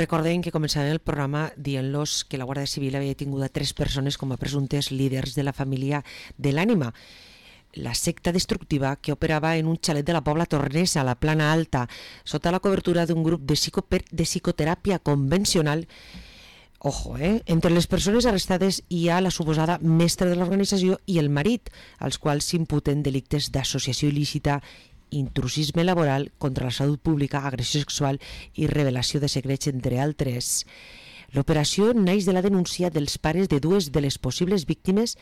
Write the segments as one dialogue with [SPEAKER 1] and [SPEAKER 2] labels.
[SPEAKER 1] Recordem que començàvem el programa dient-los que la Guàrdia Civil havia detingut a 3 persones com a presumptes líders de la família de l'Ànima, la secta destructiva que operava en un xalet de la Pobla Tornesa, a la Plana Alta, sota la cobertura d'un grup de psicoteràpia convencional. Ojo, entre les persones arrestades hi ha la suposada mestra de l'organització i el marit, als quals s'imputen delictes d'associació il·lícita, intrusisme laboral, contra la salut pública, agressió sexual i revelació de secrets, entre altres. L'operació naix de la denúncia dels pares de 2 de les possibles víctimes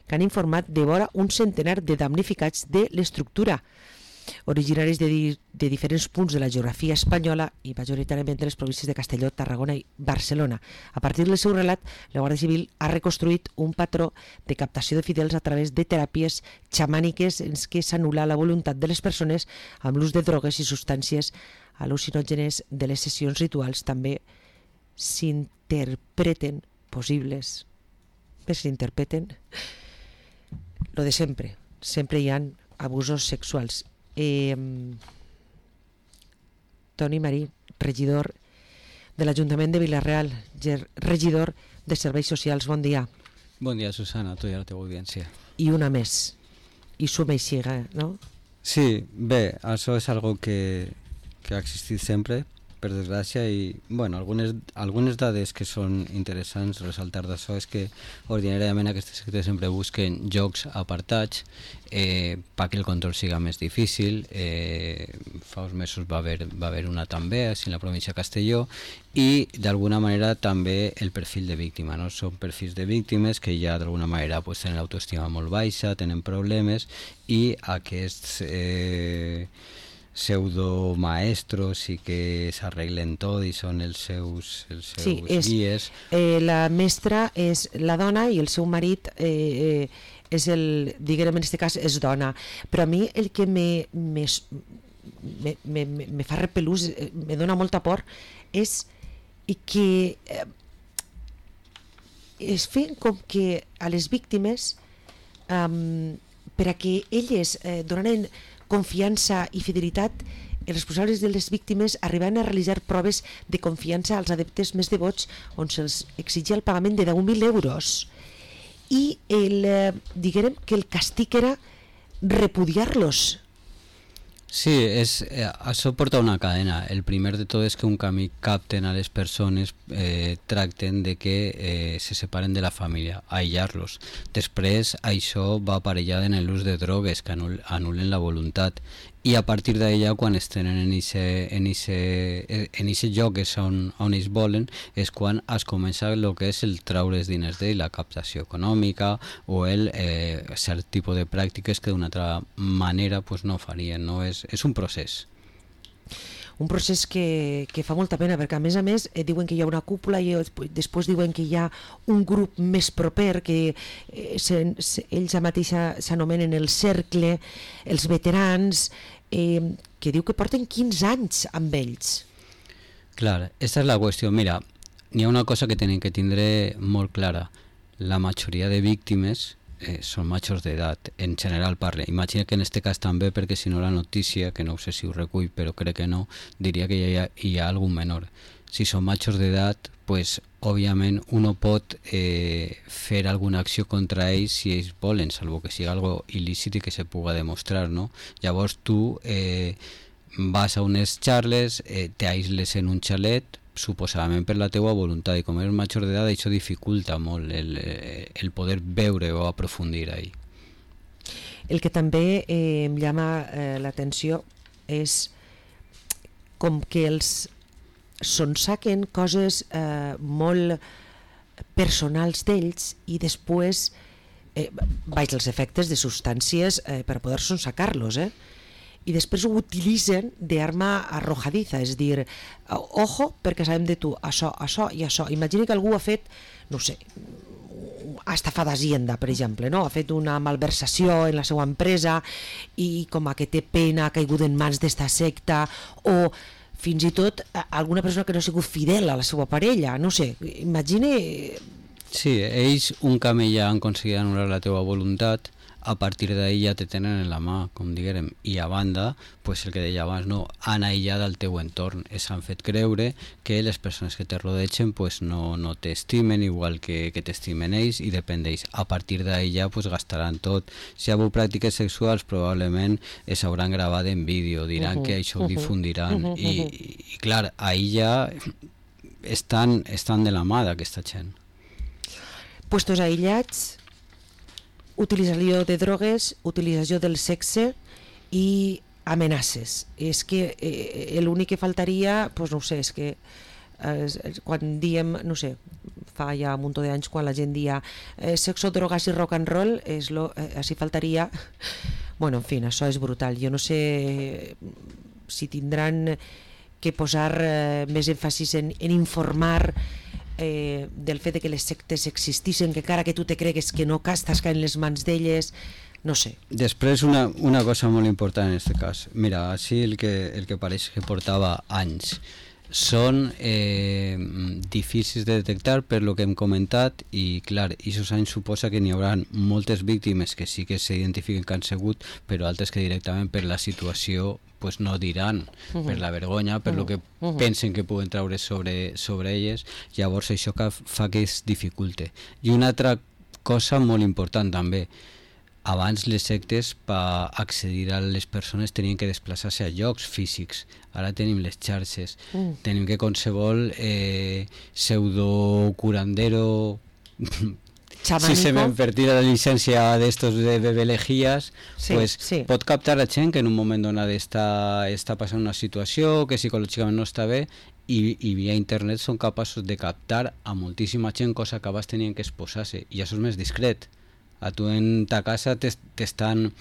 [SPEAKER 1] que han informat de vora un centenar de damnificats de l'estructura, originaris de diferents punts de la geografia espanyola i majoritàriament de les províncies de Castelló, Tarragona i Barcelona. A partir del seu relat, la Guàrdia Civil ha reconstruït un patró de captació de fidels a través de teràpies xamàniques en què s'anul·la la voluntat de les persones amb l'ús de drogues i substàncies al·lucinògenes de les sessions rituals. També s'interpreten possibles, lo de sempre hi ha abusos sexuals. Toni Marí, regidor de l'Ajuntament de Vila-real, regidor de Serveis Socials, bon dia.
[SPEAKER 2] Bon dia, Susana, a tu i a la teva audiència.
[SPEAKER 1] I una més, i suma i siga, no?
[SPEAKER 2] Sí, bé, això és algo que ha existit sempre, per desgràcia, i bueno, algunes dades que són interessants ressaltar d'això és que ordinàriament aquestes sectes sempre busquen jocs apartats perquè el control siga més difícil. Fa uns mesos va haver una també en la província de Castelló, i d'alguna manera també el perfil de víctima, no? Són perfils de víctimes que ja d'alguna manera tenen l'autoestima molt baixa, tenen problemes, i aquests pseudomaestros i que s'arreglen tot i són els seus guies.
[SPEAKER 1] La mestra és la dona i el seu marit és diguem en aquest cas és dona, però a mi el que me fa repelús, me dona molta por, és que es fent com que a les víctimes per a que elles donaran confiança i fidelitat, els responsables de les víctimes arribaven a realitzar proves de confiança als adeptes més devots on se'ls exigia el pagament de 10.000 euros i diguem que el càstig era repudiar-los.
[SPEAKER 2] Sí, això porta una cadena. El primer de tot és que un camí capten a les persones, tracten de que se separen de la família, aïllar-los. Després això va aparellat en l'ús de drogues que anulen la voluntat, i a partir d'allà, quan es tenen en aquest lloc on ells volen, és quan es comença el que és el traure els diners d'ell, la captació econòmica o el cert tipus de pràctiques que d'una altra manera no farien, no? És un procés.
[SPEAKER 1] Un procés que fa molta pena, perquè a més diuen que hi ha una cúpula i després diuen que hi ha un grup més proper que ells mateixa s'anomenen el cercle, els veterans, que diu que porten 15 anys amb ells.
[SPEAKER 2] Clar, aquesta és la qüestió. Mira, n'hi ha una cosa que tenen que tindre molt clara. La majoria de víctimes són majors d'edat, en general parle. Imagina que en aquest cas també, perquè si no la notícia, que no sé si ho recull, però crec que no, diria que hi ha algun menor. Si són majors d'edat, pues, òbviament uno pot fer alguna acció contra ells si ells volen, salvo que sigui algo il·lícit i que se puga demostrar, no? Llavors tu vas a unes xarles, t'aïsles en un xalet, suposadament per la teua voluntat, i com eres major d'edat això dificulta molt el poder veure o aprofundir ahí.
[SPEAKER 1] El que també em llama l'atenció és com que els sonsaquen coses molt personals d'ells i després els efectes de substàncies per poder sonsacar-los, i després ho utilitzen d'arma arrojadiza, és dir, ojo, perquè sabem de tu això i això. Imagina que algú ha fet, no sé, ha estafat Hacienda, per exemple, no? Ha fet una malversació en la seva empresa i com que té pena, ha caigut en mans d'esta secta, o fins i tot alguna persona que no ha sigut fidel a la seva parella, no sé, imagina...
[SPEAKER 2] Sí, ells un camí ja han aconseguit anul·lar la teva voluntat, a partir d'ahir ja te tenen en la mà, com diguem, i a banda, pues el que deia abans, no, han aïllat el teu entorn, s'han fet creure que les persones que te rodegen pues no t'estimen igual que t'estimen ells i depèn d'ells. A partir d'ahir ja pues gastaran tot. Si hi ha hagut pràctiques sexuals probablement es hauran gravat en vídeo, diran que això ho difundiran i clar, ahir ja estan de la mà d'aquesta gent.
[SPEAKER 1] Puestos aïllats, utilització de drogues, utilització del sexe i amenaces. És que l'únic que faltaria, pues no sé, és que quan diem, no sé, fa ja un munt d'anys quan la gent dia sexo, drogas i rock and roll, així faltaria. Bueno, en fi, això és brutal. Jo no sé si tindran que posar més èmfasis en informar del fet de que les sectes existissin, que encara que tu te cregues que no estàs caient les mans d'elles, no sé.
[SPEAKER 2] Després una cosa molt important en aquest cas. Mira, així el que pareix que portava anys són difícils de detectar per lo que hem comentat i clar, aquests anys suposa que n'hi haurà moltes víctimes que sí que s'identifiquen que han sigut, però altres que directament per la situació pues no diran, per la vergonya, per lo que pensen que poden treure sobre elles, llavors això fa que es dificulte. I una altra cosa molt important també, abans les sectes per accedir a les persones tenien que desplaçar-se a llocs físics, ara tenim les xarxes, tenim que qualsevol pseudo curandero si se m'envertir la llicència d'estos de bebelegies, pues pot captar a gent que en un moment donat està passant una situació que psicològicament no està bé i via internet són capaços de captar a moltíssima gent, cosa que abans tenien que exposar-se i això és més discret. A tu en ta casa t'estan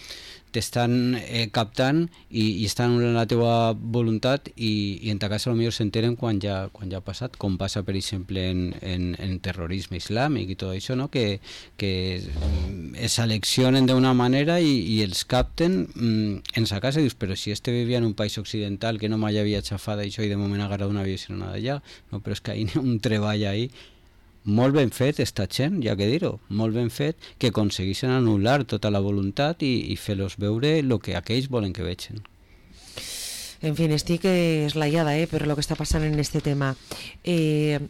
[SPEAKER 2] captant i estan anul·lant la teva voluntat i en ta casa potser s'enteren quan ja ha passat, com passa per exemple en terrorisme islàmic i tot això, no? que es seleccionen d'una manera i els capten en sa casa i dius, però si vivia en un país occidental que no mai havia xafat això i de moment ha agarrat un avió i se n'ha d'allà, no, però és que hi ha un treball ahí molt ben fet, esta gent, ja que dir-ho, molt ben fet, que aconsegueixen anul·lar tota la voluntat i fer-los veure el que aquells volen que vegin.
[SPEAKER 1] En fi, estic eslaiada per el que està passant en este tema. I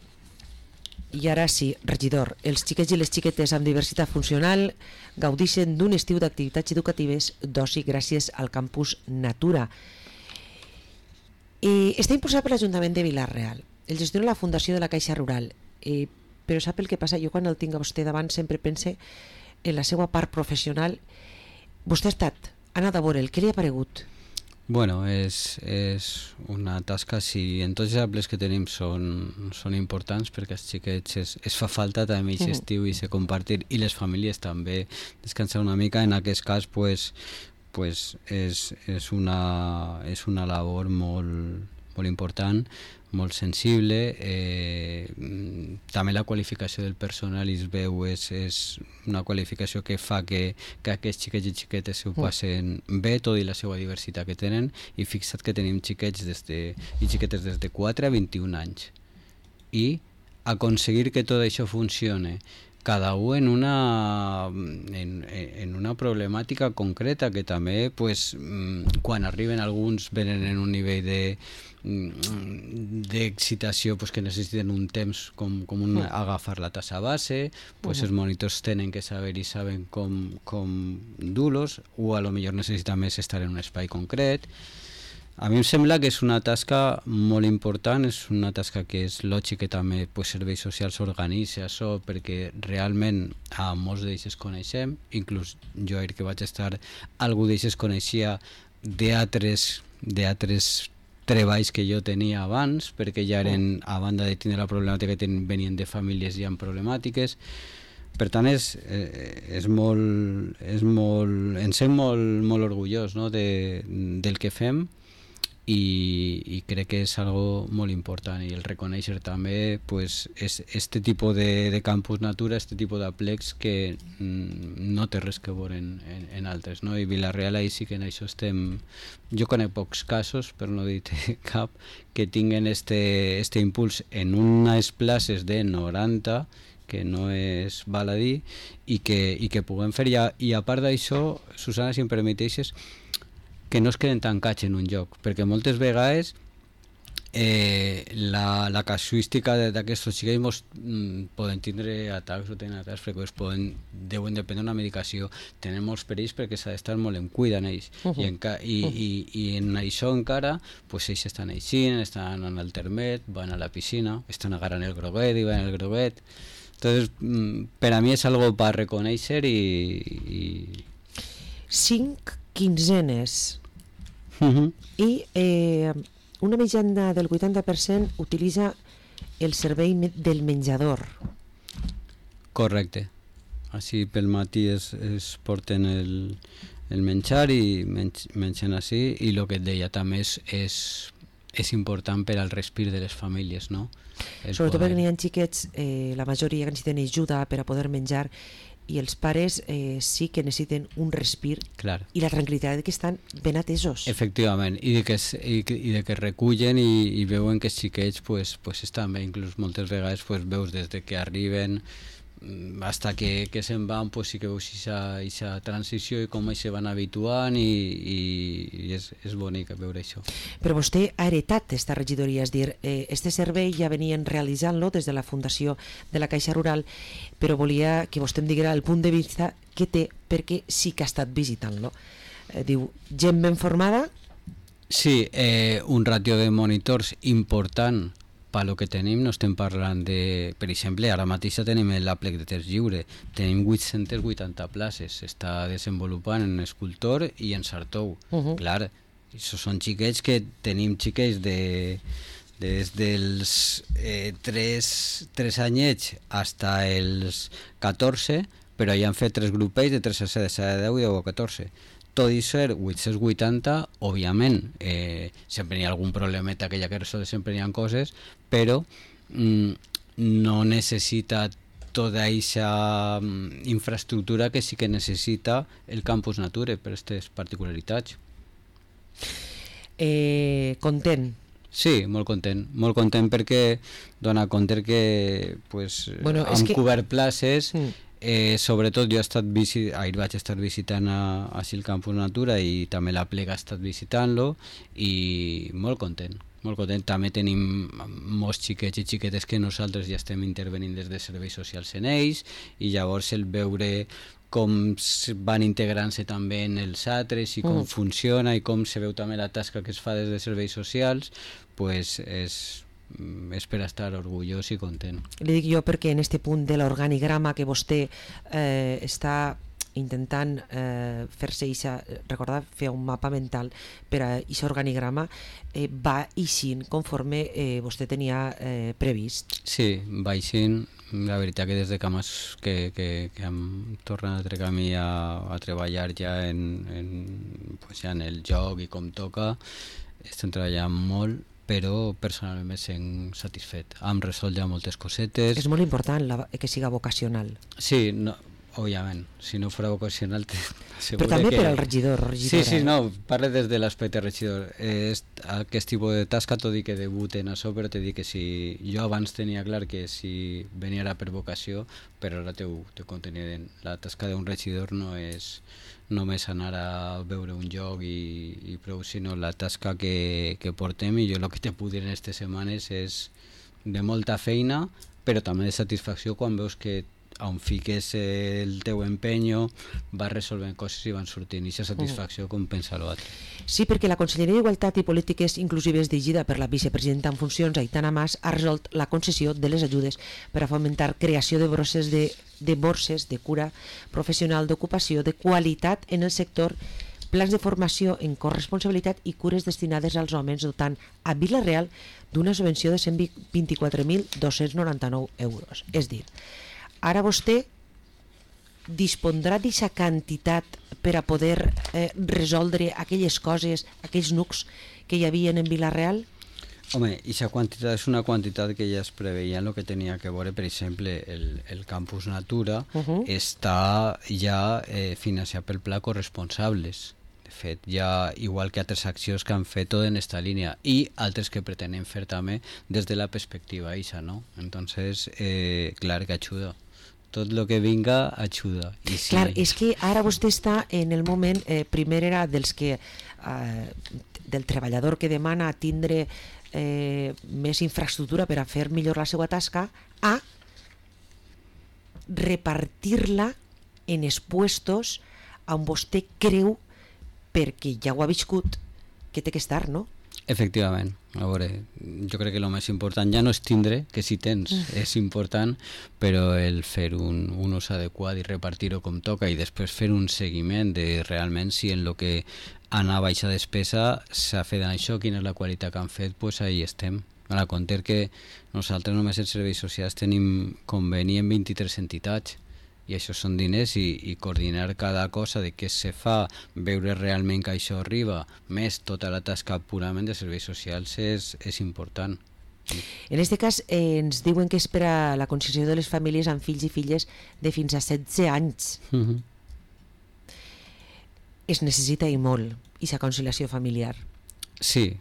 [SPEAKER 1] ara sí, regidor, els xiquets i les xiquetes amb diversitat funcional gaudeixen d'un estiu d'activitats educatives d'oci gràcies al campus Natura. Està impulsat per l'Ajuntament de Vila-real. El gestiona la Fundació de la Caixa Rural. Però sap el que passa? Jo quan el tinc a vostè davant sempre pense en la seva part professional. Vostè ha anat a veure'l, què li ha paregut?
[SPEAKER 2] Bueno, és una tasca, si en tots els exemples que tenim són importants perquè als xiquets es fa falta també aquest estiu i se compartir i les famílies també descansar una mica. En aquest cas pues és una labor molt important, molt sensible, també la qualificació del personal es veu és una qualificació que fa que aquests xiquets i xiquetes ho passen bé, tot i la seva diversitat que tenen, i fixa't que tenim xiquets i xiquetes des de 4 a 21 anys i aconseguir que tot això funcione cada un en una problemàtica concreta que també pues, quan arriben alguns venen en un nivell d'excitació pues, que necessiten un temps com agafar la tassa base, pues, els monitors tenen que saber i saben com dur-los o a lo millor necessita més estar en un espai concret. A mi em sembla que és una tasca molt important, és una tasca que és lògic que també serveis socials s'organitza això, perquè realment a molts d'ells es coneixem, inclús jo ahir que vaig estar, algú d'ells es coneixia d'altres treballs que jo tenia abans, perquè ja eren, a banda de tenir la problemàtica que venien de famílies ja amb problemàtiques. Per tant, ens sent molt orgullós, no? del que fem, i crec que és algo molt important, i el reconèixer també pues, este tipus de campus Natura, este tipus d'aplecs que no té res que veure en altres, no? I Vila-real ahí sí que en això estem, jo conec pocs casos, per no dir cap, que tinguen este impuls en unes places de 90 que no és baladí i que puguem fer. I a part d'això, Susana, si em permeteixes, que no es queden tancats en un lloc, perquè moltes vegades la casuística d'aquests xiquets poden tindre atacs o tenen atacs freqüents, deuen dependre d'una medicació, tenen molts perills perquè s'ha d'estar molt en cuida en ells, i en això encara pues, ells estan eixint, estan en el termet, van a la piscina, estan agarrant el groguet i van al groguet. Entonces, per a mi és algo per reconèixer i...
[SPEAKER 1] 5 quinzenes i una mitjana del 80% utilitza el servei del menjador.
[SPEAKER 2] Correcte. Així pel matí es porten el menjar i mengen així, i el que et deia també és important per al respir de les famílies, no?
[SPEAKER 1] Sobretot perquè n'hi ha xiquets, la majoria que necessiten ajuda per a poder menjar, i els pares sí que necessiten un respir i la tranquil·litat que estan ben atesos.
[SPEAKER 2] Efectivament, i de que recullen i veuen que els xiquets pues estan bé, inclús moltes vegades pues, veus des de que arriben hasta que se'n van, pues sí que veus aquesta transició i com se van habituant, i és bonic veure això.
[SPEAKER 1] Però vostè ha heretat aquesta regidoria, és dir, este servei ja venien realitzant-lo des de la Fundació de la Caixa Rural, però volia que vostè em diguera el punt de vista que té, perquè sí que ha estat visitant-lo. Diu, gent ben formada?
[SPEAKER 2] Sí, un ràtio de monitors important pel que tenim. No estem parlant de... Per exemple, ara mateix tenim l'Aplec de Test Lliure, tenim 880 places, s'està desenvolupant en Escultor i en Sartou. Clar, això són xiquets que tenim xiquets des dels 3 anyets fins als 14, però ja han fet 3 grupells de 3 a 7, de 7 a 10 i 10 a 14. Tot i ser 880, òbviament, sempre hi ha algun problemeta que ja que resoldre, sempre hi ha coses, però no necessita tota aquesta infraestructura que sí que necessita el Campus Nature per aquestes particularitats.
[SPEAKER 1] Content?
[SPEAKER 2] Sí, molt content perquè dona compte que pues, hem cobert places. Sobretot jo ahir vaig estar visitant així el Campus Natura i també la Plega ha estat visitant-lo, i molt content. També tenim molts xiquets i xiquetes que nosaltres ja estem intervenint des de serveis socials en ells, i llavors el veure com van integrant-se també en els altres i com funciona i com se veu també la tasca que es fa des de serveis socials, pues és per estar orgullós i content.
[SPEAKER 1] Li dic jo perquè en este punt de l'organigrama que vostè està intentant fer-se recordar, fer un mapa mental per a aquest organigrama, va eixint conforme vostè tenia previst.
[SPEAKER 2] Sí, va eixint. La veritat que des de que hem tornat altre camí a treballar ja en el joc i com toca, estem treballant molt, però personalment me sent satisfet. Hem resolt ja moltes cosetes.
[SPEAKER 1] És molt important que siga vocacional.
[SPEAKER 2] Sí, òbviament, si no fos vocacional
[SPEAKER 1] però també per al regidor.
[SPEAKER 2] Sí, no, parle des de l'aspecte regidor. Aquest tipus de tasca, tot i que debut en això, però t'he dit que si jo abans tenia clar que si venia per vocació, però ara t'ho contenien. La tasca d'un regidor no és només anar a veure un lloc i prou, sinó la tasca que portem, i jo el que te puc dir en aquestes setmanes és de molta feina, però també de satisfacció quan veus que on fiques el teu empenyo vas resolvent coses i van sortint, i aquesta satisfacció compensa l'altre.
[SPEAKER 1] Sí, perquè la Conselleria d'Igualtat i Polítiques Inclusives dirigida per la vicepresidenta en funcions, Aitana Mas, ha resolt la concessió de les ajudes per a fomentar creació de borses de cura professional d'ocupació de qualitat en el sector, plans de formació en corresponsabilitat i cures destinades als homes, dotant a Vila-real d'una subvenció de 124.299 euros. És dir, ara vostè dispondrà d'aquesta quantitat per a poder resoldre aquelles coses, aquells nucs que hi havia en Vila-real?
[SPEAKER 2] Home, aquesta quantitat és una quantitat que ja es preveia en el que tenia que veure, per exemple, el Campus Natura està ja finançat pel Pla Corresponsables. De fet ja, igual que altres accions que han fet tot en esta línia i altres que pretenen fer també des de la perspectiva eixa, no? Entonces, clar que ajuda. Tot el que vinga ajuda. I sí,
[SPEAKER 1] clar, és que ara vostè està en el moment, primer era dels que del treballador que demana tindre més infraestructura per a fer millor la seva tasca, a repartir-la en els puestos on vostè creu, perquè ja ho ha viscut, que té que estar, no?
[SPEAKER 2] Efectivament, a veure, jo crec que el més important ja no és tindre, que si tens és important, però el fer un ús adequat i repartir-ho com toca i després fer un seguiment de realment si en el que anava aquesta despesa s'ha fet això, quina és la qualitat que han fet, doncs ahí estem. A compte que nosaltres només en serveis socials tenim conveni en 23 entitats i això són diners i coordinar cada cosa de què se fa, veure realment que això arriba, més tota la tasca purament de serveis socials és important.
[SPEAKER 1] En aquest cas ens diuen que és per a la conciliació de les famílies amb fills i filles de fins a 16 anys. Es necessita i molt, aquesta conciliació familiar.
[SPEAKER 2] Sí,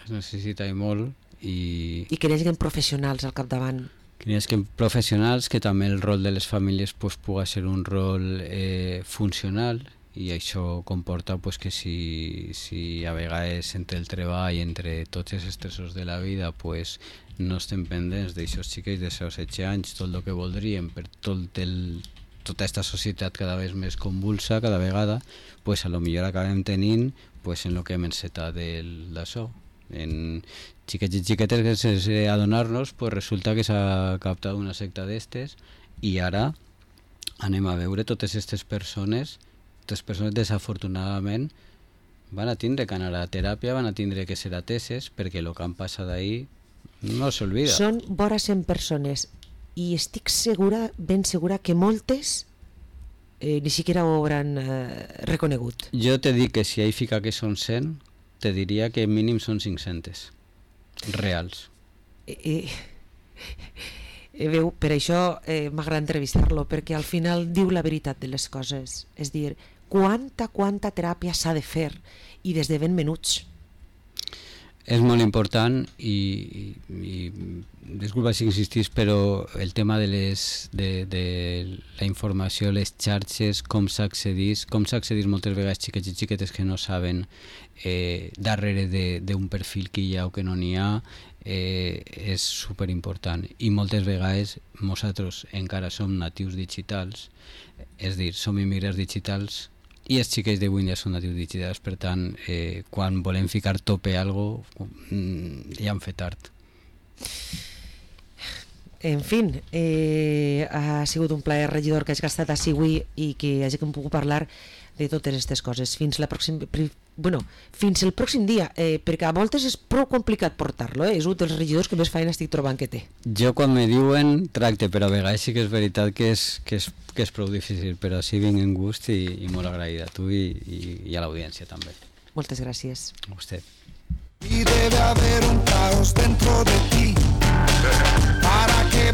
[SPEAKER 2] es necessita i molt. I
[SPEAKER 1] que hi hagi professionals al capdavant.
[SPEAKER 2] Que hi hagi professionals, que també el rol de les famílies pues, pugui ser un rol funcional i això comporta pues, que si a vegades entre el treball, entre tots els estressos de la vida pues, no estem pendents d'aixòs xiquets de 16 anys, tot el que voldríem per tota aquesta societat cada vegada més convulsa cada vegada, pues, a lo millor acabem tenint pues, en el que hem encetat d'això. En xiquets i xiquetes que sense adonar-nos pues resulta que s'ha captat una secta d'estes i ara anem a veure totes aquestes persones desafortunadament van a tindre que anar a teràpia, van a tindre que ser ateses perquè el que han passat ahir no s'olvida.
[SPEAKER 1] Són vora 100 persones i estic segura, ben segura que moltes ni siquiera ho hauran reconegut.
[SPEAKER 2] Jo te dic que si ahí fica que són 100 te diria que mínim són 500 reals.
[SPEAKER 1] Veu, per això m'agrada entrevistar-lo, perquè al final diu la veritat de les coses, és dir, quanta teràpia s'ha de fer i des de ben menuts.
[SPEAKER 2] És molt important i disculpa si insistís, però el tema de la informació, les xarxes, com s'accedís moltes vegades xiquets i xiquetes que no saben darrere d'un perfil que hi ha o que no n'hi ha, és superimportant i moltes vegades nosaltres encara som natius digitals, és dir, som immigrants digitals i els xiquets d'avui ja són natius digitals, per tant, quan volem ficar tope a algo, ja hem fet tard.
[SPEAKER 1] En fin, ha sigut un plaer, regidor, que hagi estat així avui i que hagi pogut parlar de totes aquestes coses. Fins el pròxim dia, perquè a voltes és prou complicat portar-lo, és un dels regidors que més feina estic trobant que té.
[SPEAKER 2] Jo quan me diuen tracte, però a vegades sí que és veritat que és prou difícil, però sí vinc en gust i molt agraït a tu i a l'audiència també.
[SPEAKER 1] Moltes gràcies.
[SPEAKER 2] A vostè.
[SPEAKER 3] Y debe haber un caos dentro de ti para que